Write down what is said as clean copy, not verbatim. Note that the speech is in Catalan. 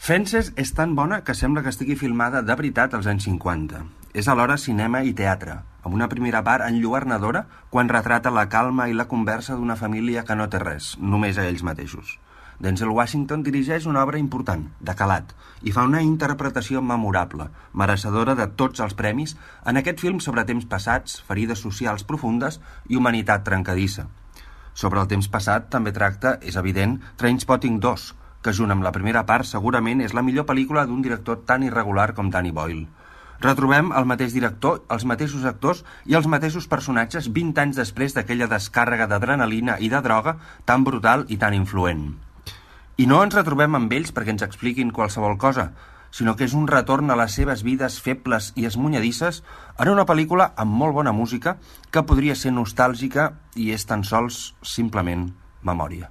Fences és tan bona que sembla que estigui filmada de veritat als anys 50. És alhora cinema i teatre, amb una primera part enlluernadora quan retrata la calma i la conversa d'una família que no té res, només a ells mateixos. Denzel Washington dirigeix una obra important, de calat, i fa una interpretació memorable, mereixedora de tots els premis, en aquest film sobre temps passats, ferides socials profundes i humanitat trencadissa. Sobre el temps passat també tracta, és evident, Trainspotting 2, que junt amb la primera part segurament és la millor pel·lícula d'un director tan irregular com Danny Boyle. Retrobem el mateix director, els mateixos actors i els mateixos personatges 20 anys després d'aquella descàrrega d'adrenalina i de droga tan brutal i tan influent. I no ens retrobem amb ells perquè ens expliquin qualsevol cosa, sinó que és un retorn a les seves vides febles i esmunyadisses en una pel·lícula amb molt bona música que podria ser nostàlgica i és tan sols simplement memòria.